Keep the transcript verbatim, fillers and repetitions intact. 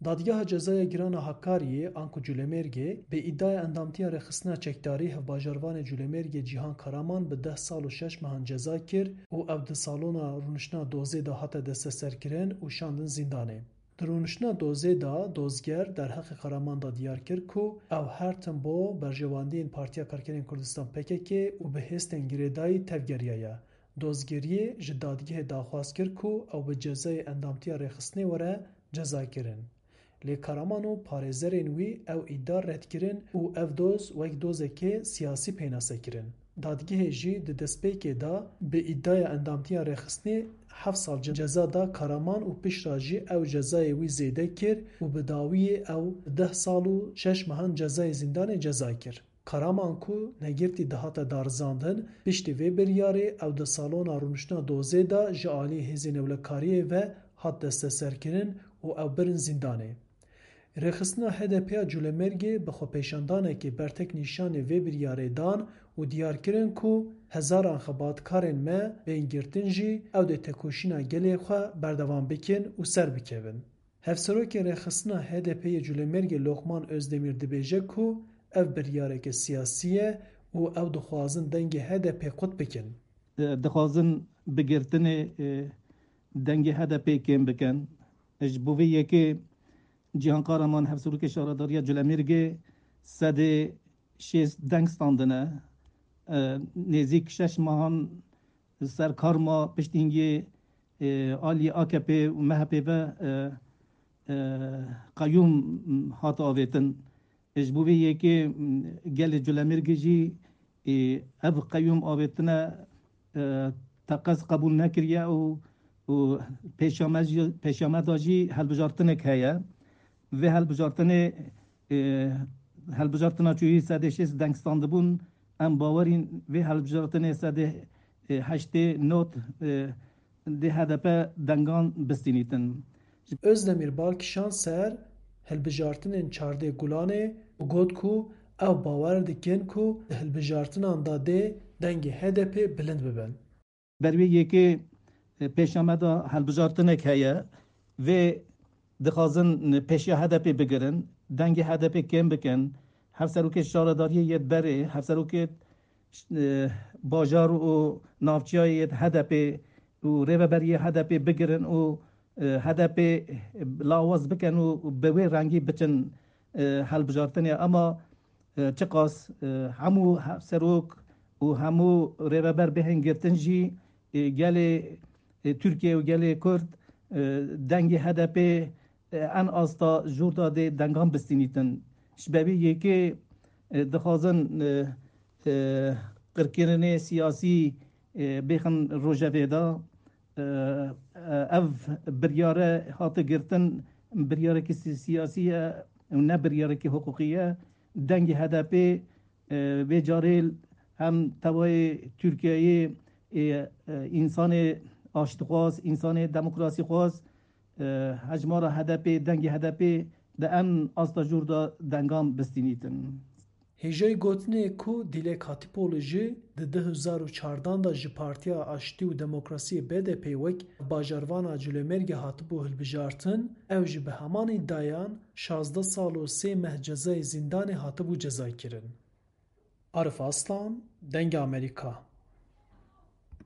Dadgeha Cezaya Giran a Hakariyê, anku Culemêrgê, bi îdaya endamtiya rêxistina çekdarî hevbajarvanê Culemêrgê Cîhan Karaman bi deh sal û şeş mehan ceza kir û ew di salona rûniştina dozê de hate desteserkirin û şandin zîndanê. Di rûniştina dozê de dozger derheqê Karaman de diyar kir ku ew her tim bo berjewendiyên Partiya Karkerên Kurdistan P K K û bi hêstên girêdayî tevgeriyaye. Dozgeriyê ji dadgehê daxwaz kir ku ew bi cezayê endamtiya rêxistinê were cezakirin. Lê Karaman û parêzerên wî ew îda red kirin û ev doz wek dozekê siyasî pênase kirin. Dadgehê jî di destpêkê de bi îdaya endamtiya rêxistinê heft sal ce-, ceza da Karaman û piştre jî ew cezayê wî zêde kir û bi dawiyê ew deh sal û şeş mehan cezayê zîndanê ceza kir. Karaman ku negirtî dihate darizandin, piştî vê biryarê ew di salona rûniştina dozê de ji alî hêzên ewlekariyê ve hat desteserkirin û ew birin zîndanê. Rêxistina H D P ya Culemêrgê bi xwepêşandanekê bertek nîşanê vê biryarê dan û diyar kirin ku hezaran xebatkarên me bên girtin jî ew dê tekoşîna gelê xwe berdewam bikin û ser bikevin. Hevserokê Rêxistina H D P yê Culemêrgê Lokman Özdemir dibêje ku ev biryareke siyasî ye û ew dixwazin dengê H D P qut bikin. Dixwazin bi girtinê, e, dengê H D P kêm bikin. Ji bo vê yekê Cîhan Karaman, Hevserokê Şaredariya Culemêrgê, sedê şêst deng standine. E, nêzîk şeş mehan ser kar ma, piştî hingê, e, alî A K P û M H P ve, e, e, qeyûm hat avêtin. Ji bo vê yekê, m, gelê Culemêrgê jî, e, ev qeyûm avêtine, e, teqez qebûl nekiriye û, û pêşame jî, pêşame de jî helbijartinek heye. Vê helbijartinê, e, helbijartina çûyî sedê şêst deng standibûn, em bawerîn vê helbijartinê sedê, e, heştê not, e, dê H D P dengan bistînîtin. Özdemir bal kişand ser hilbijartinên çardê Gulanê û got ku ew bawer dikin ku di hilbijartinan de dê dengê H D P bilind bibin. Ber wê yekê, e, pêşame de helbijartinek heye. Vê dixwazin pêşiya H D P bigirin, dengê H D P kêm bikin. Hevserokê şaredariyê yê berê, hevserokê, e, bajar û navçeya yê H D P û rêveberiyê H D P bigirin û, e, H D P lawaz bikin û bi wê rengî biçin, e, helbijartinê. Ema, e, çiqas, e, hemû hevserok û hemû rêveber bihên girtin jî, e, gelê, e, Tirkiye û gelê Kurd, e, dengê H D P, e, en asta jûr de dê dengan bistînîtin. Ji bevî yekê, e, dixwazin, e, e, qirkirinê siyasî, e, bêxin rojevê de. E, e, ev biryare hate girtin, biryarekî si-, siyasî ye û ne biryarekî hiqûqî ye. Dengê H D P, e, vê carê hem tevayê Tirkiyeyê, e, e, însanê aştixwaz, însanê demokrasîxwaz, e, hejmara H D P, dengê H D P di en asta jûr de dengan bistînîtin. Hêjayî gotinê ku Dilek Hatîpoğlu jî di du hezar û çardan de ji Partiya Aştî û Demokrasiyê B D P wek bajarvana Culemêrgê hatibû hilbijartin, ew jî bi heman îdiayan şazdeh sal û sê meh cezayê zîndanê hatibû cezakirin. Arif Aslan, Dengê Amerîka.